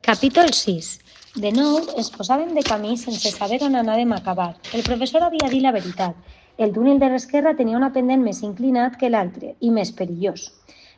Capítol 6. De nou, es posaven de camí sense saber on anàvem a acabar. El professor havia dit la veritat. El túnel de l'esquerra tenia una pendent més inclinat que l'altre i més perillós.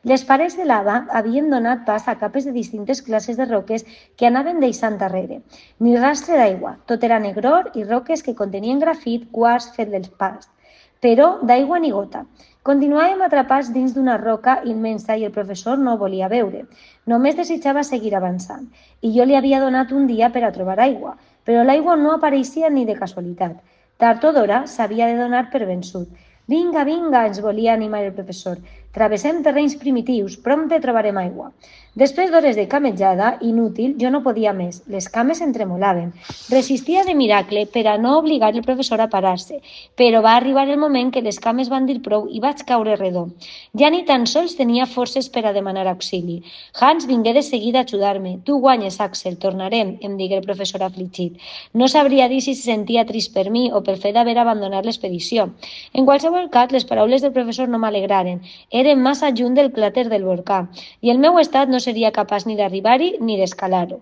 Les parets de lava havien donat pas a capes de distintes classes de roques que anaven deixant darrere. Ni rastre d'aigua, tot era negror i roques que contenien grafit, quars fet dels pas. Però d'aigua ni gota. Continuàvem atrapats dins d'una roca immensa i el professor no volia veure. Només desitjava seguir avançant. I jo li havia donat un dia per a trobar aigua, però l'aigua no apareixia ni de casualitat. Tard o d'hora s'havia de donar per vençut. Vinga, vinga, ens volia animar el professor. Travessem terrenys primitius, prompte trobarem aigua. Després d'hores de camejada, inútil, jo no podia més. Les cames em tremolaven. Resistia de miracle per a no obligar el professor a parar-se, però va arribar el moment que les cames van dir prou i vaig caure redó. Ja ni tan sols tenia forces per a demanar auxili. Hans vingué de seguida a ajudar-me. Tu guanyes, Axel, tornarem, em digué el professor afligit. No sabria dir si se sentia trist per mi o pel fet d'haver abandonat l'expedició. En qualsevol cas, les paraules del professor no m'alegraren. Eren massa lluny del cràter del volcà i el meu estat no seria capaç ni d'arribar-hi ni d'escalar-ho.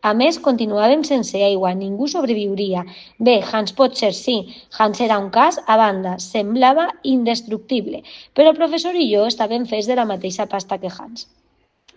A més, continuàvem sense aigua, ningú sobreviuria. Bé, Hans potser sí, Hans era un cas a banda, semblava indestructible, però el professor i jo estàvem fets de la mateixa pasta que Hans.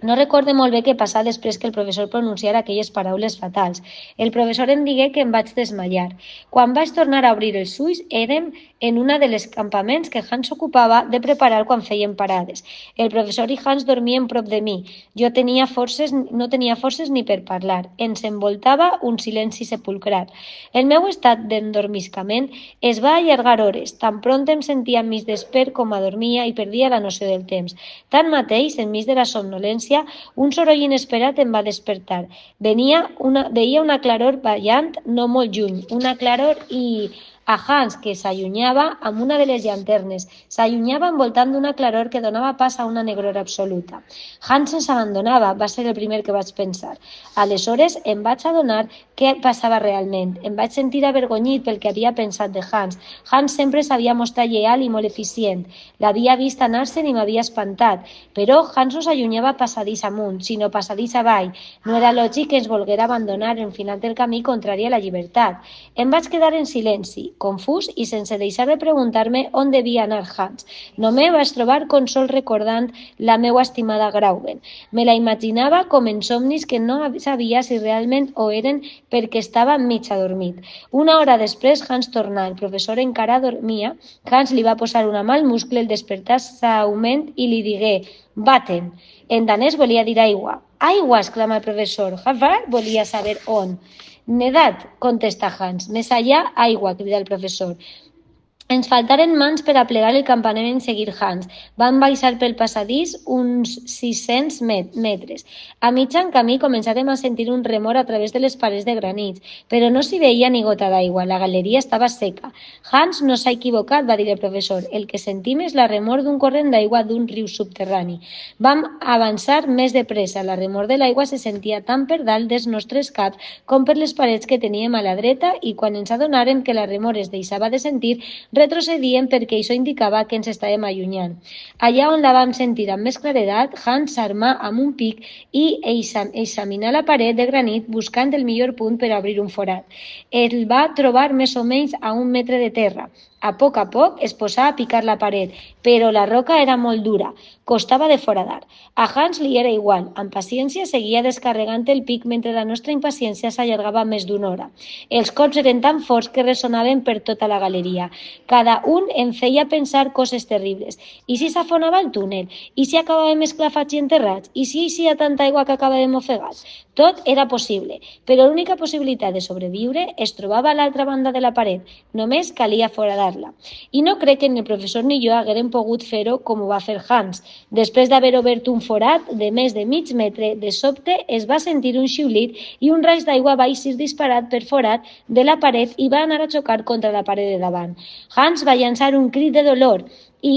No recorde molt bé què passà després que el professor pronunciara aquelles paraules fatals. El professor em digué que em vaig desmaiar. Quan vaig tornar a obrir els ulls, érem en una de les campaments que Hans s'ocupava de preparar quan feien parades. El professor i Hans dormien prop de mi. Jo no tenia forces ni per parlar. Ens envoltava un silenci sepulcral. El meu estat d'endormiscament es va allargar hores. Tan pront em sentia mig despert com adormia i perdia la noció del temps. Tanmateix, enmig de la somnolència, un soroll inesperat em va despertar. Veia una claror ballant no molt lluny, una claror i a Hans, que s'allunyava amb una de les llanternes. S'allunyava envoltant d'una claror que donava pas a una negror absoluta. Hans ens abandonava, va ser el primer que vaig pensar. Aleshores em vaig adonar què passava realment. Em vaig sentir avergonyit pel que havia pensat de Hans. Hans sempre s'havia mostrat lleal i molt eficient. L'havia vist anar-se'n i m'havia espantat. Però Hans no s'allunyava passadís amunt, sinó passadís avall. No era lògic que ens volguera abandonar en final del camí contrari a la llibertat. Em vaig quedar en silenci, confús i sense deixar de preguntar-me on devia anar Hans. Només vaig trobar consol recordant la meua estimada Grauben. Me la imaginava com en somnis que no sabia si realment ho eren perquè estava mig adormit. Una hora després Hans tornà. El professor encara dormia. Hans li va posar una mà al muscle, el despertà suaument i li digué «Baten». En danès volia dir aigua. «Aigua!», exclama el professor. Havard volia saber on. «Nedat», contesta Hans. «Més allà, aigua», crida el professor. Ens faltaren mans per a plegar el campament i seguir Hans. Vam baixar pel passadís uns 600 metres. A mitjan camí començàrem a sentir un remor a través de les parets de granits, però no s'hi veia ni gota d'aigua. La galeria estava seca. Hans no s'ha equivocat, va dir el professor. El que sentim és la remor d'un corrent d'aigua d'un riu subterrani. Vam avançar més de pressa. La remor de l'aigua se sentia tant per dalt dels nostres caps com per les parets que teníem a la dreta i quan ens adonàrem que la remor es deixava de sentir, retrocedíem perquè això indicava que ens estàvem allunyant. Allà on la vam sentir amb més claredat, Hans s'armà amb un pic i examinà la paret de granit buscant el millor punt per a obrir un forat. El va trobar més o menys a 1 metre de terra. A poc es posà a picar la paret, però la roca era molt dura, costava de foradar. A Hans li era igual, amb paciència seguia descarregant el pic mentre la nostra impaciència s'allargava més d'una hora. Els cops eren tan forts que ressonaven per tota la galeria. Cada un em feia pensar coses terribles. I si s'afonava el túnel? I si acabàvem esclafats i enterrats? I si hi ha tanta aigua que acabàvem ofegats? Tot era possible, però l'única possibilitat de sobreviure es trobava a l'altra banda de la paret. Només calia foradar-la. I no crec que ni el professor ni jo haguérem pogut fer-ho com ho va fer Hans. Després d'haver obert un forat de més de mig metre, de sobte es va sentir un xiulit i un raig d'aigua va eixir disparat per forat de la paret i va anar a xocar contra la paret de davant. Hans va llançar un crit de dolor i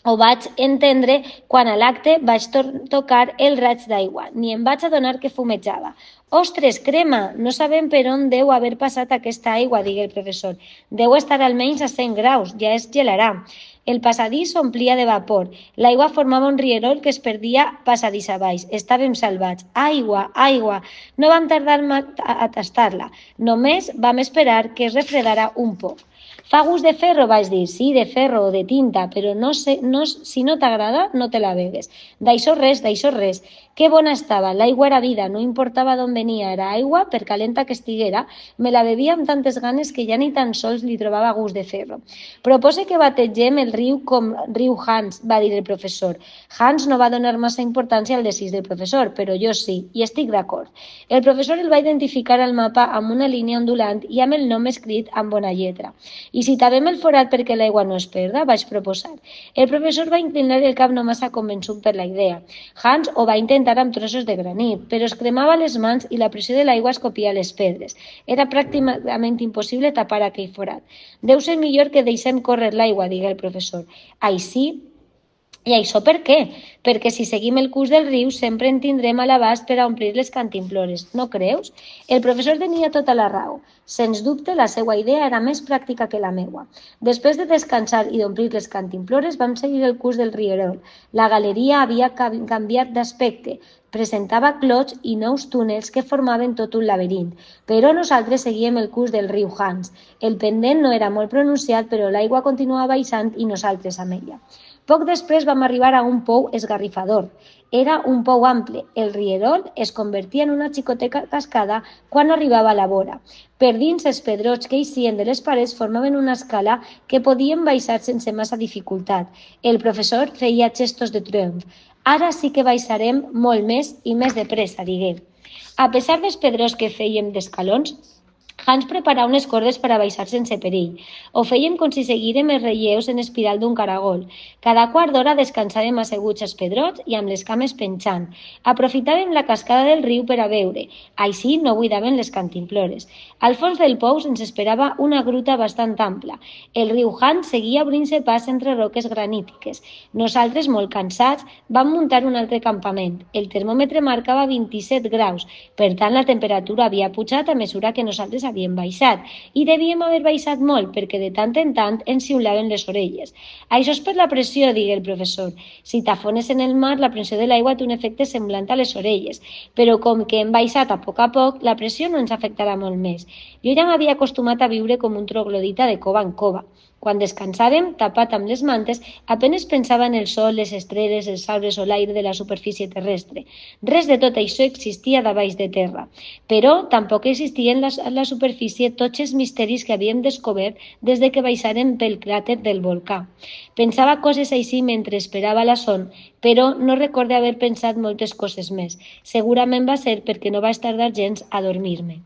ho vaig entendre quan a l'acte vaig tocar el raig d'aigua. Ni em vaig adonar que fumejava. «Ostres, crema! No sabem per on deu haver passat aquesta aigua», digué el professor. «Deu estar almenys a 100 graus, ja es gelarà». El passadís s'omplia de vapor. L'aigua formava un rierol que es perdia passadís avall. Estàvem salvats. Aigua, aigua! No vam tardar a tastar-la. Només vam esperar que es refredara un poc. Fa gust de ferro, vaig dir. Sí, de ferro o de tinta, però si no t'agrada, no te la begues. D'això res, d'això res. Que bona estava, l'aigua era vida, no importava d'on venia, era aigua, per calenta que estiguera, me la bevia amb tantes ganes que ja ni tan sols li trobava gust de ferro. Propose que bategem el riu com riu Hans, va dir el professor. Hans no va donar massa importància al desig del professor, però jo sí, i estic d'acord. El professor el va identificar al mapa amb una línia ondulant i amb el nom escrit amb bona lletra. I si tapem el forat perquè l'aigua no es perda, vaig proposar. El professor va inclinar el cap no massa convençut per la idea. Hans ho va intentar amb trossos de granit, però es cremava les mans i la pressió de l'aigua escopia les pedres. Era pràcticament impossible tapar aquell forat. Deu ser millor que deixem córrer l'aigua, digué el professor. Així, i això per què? Perquè si seguim el curs del riu sempre en tindrem a l'abast per a omplir les cantimplores, no creus? El professor tenia tota la raó. Sens dubte, la seva idea era més pràctica que la meua. Després de descansar i d'omplir les cantimplores, vam seguir el curs del rierol. La galeria havia canviat d'aspecte. Presentava clots i nous túnels que formaven tot un laberint. Però nosaltres seguíem el curs del riu Hans. El pendent no era molt pronunciat, però l'aigua continuava baixant i nosaltres amb ella. Poc després vam arribar a un pou esgarrifador. Era un pou ample. El rierol es convertia en una xicoteta cascada quan arribava a la vora. Per dins, els pedrots que eixien de les parets formaven una escala que podíem baixar sense massa dificultat. El professor feia gestos de triomf. Ara sí que baixarem molt més i més de pressa, digué. A pesar dels pedrots que fèiem d'escalons, Hans preparava unes cordes per a baixar sense perill. Ho fèiem com si seguírem els relleus en espiral d'un caragol. Cada quart d'hora descansàvem asseguts als pedrots i amb les cames penjant. Aprofitàvem la cascada del riu per a beure. Així no buidaven les cantimplores. Al fons del pou ens esperava una gruta bastant ampla. El riu Hans seguia obrint-se pas entre roques granítiques. Nosaltres, molt cansats, vam muntar un altre campament. El termòmetre marcava 27 graus. Per tant, la temperatura havia pujat a mesura que nosaltres havíem baixat, i devíem haver baixat molt perquè de tant en tant ens xiulaven les orelles. Això és per la pressió, digué el professor. Si t'afones en el mar, la pressió de l'aigua té un efecte semblant a les orelles, però com que hem baixat a poc, la pressió no ens afectarà molt més. Jo ja m'havia acostumat a viure com un troglodita de cova en cova. Quan descansàvem, tapat amb les mantes, apenes pensava en el sol, les estrelles, els arbres o l'aire de la superfície terrestre. Res de tot això existia davall de terra. Però tampoc existien a la superfície tots els misteris que havíem descobert des de que baixàrem pel cràter del volcà. Pensava coses així mentre esperava la son, però no recordo haver pensat moltes coses més. Segurament va ser perquè no vaig tardar gens a dormir-me.